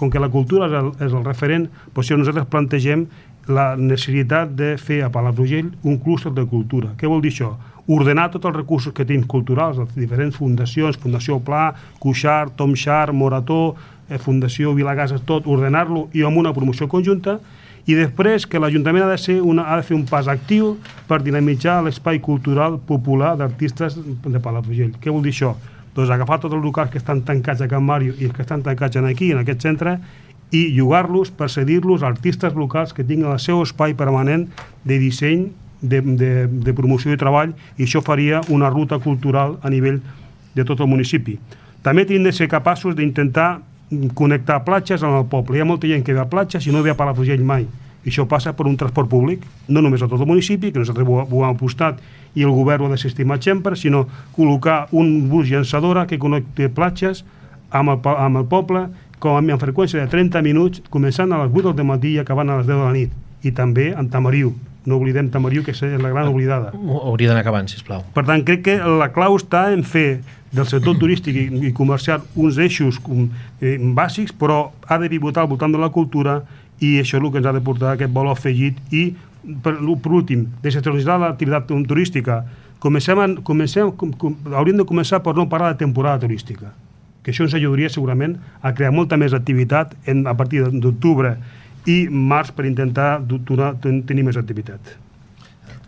com que la cultura és el referent, doncs si nosaltres plantegem la necessitat de fer a Palafrugell un clúster de cultura. Què vol dir això? Ordenar tots els recursos que tenim culturals, les diferents fundacions, Fundació Pla, Cuixart, Tom Sharp, Morató, Fundació Vilagasas, tot, ordenar-lo i amb una promoció conjunta, i després que l'Ajuntament ha de fer un pas actiu per dinamitzar l'espai cultural popular d'artistes de Palafrugell. Què vol dir això? Doncs agafar tots els locals que estan tancats a Can Màrio i els que estan tancats aquí, en aquest centre, i llogar-los per cedir-los a artistes locals que tinguin el seu espai permanent de disseny, de promoció i treball, i això faria una ruta cultural a nivell de tot el municipi. També hem de ser capaços d'intentar connectar platges amb el poble. Hi ha molta gent que ve a platges i no ve a Palafrugell mai. I això passa per un transport públic, no només a tot el municipi, que nosaltres ho hem apostat i el govern ho ha desestimat sempre, sinó col·locar un bus llançadora que connecti platges amb el poble, com amb freqüència de 30 minuts, començant a les 8 del matí i acabant a les 10 de la nit. I també en Tamariu. No oblidem Tamariu, que és la gran oblidada. Hauria d'anar acabant, sisplau. Per tant, crec que la clau està en fer del sector turístic i comercial uns eixos bàsics, però ha de pivotar al voltant de la cultura, i això és el que ens ha de portar aquest valor afegit. I, per últim, descentralitzar l'activitat turística. Hauríem de començar per no parlar de temporada turística, que això ens ajudaria segurament a crear molta més activitat a partir d'octubre i març per intentar tenir més activitat.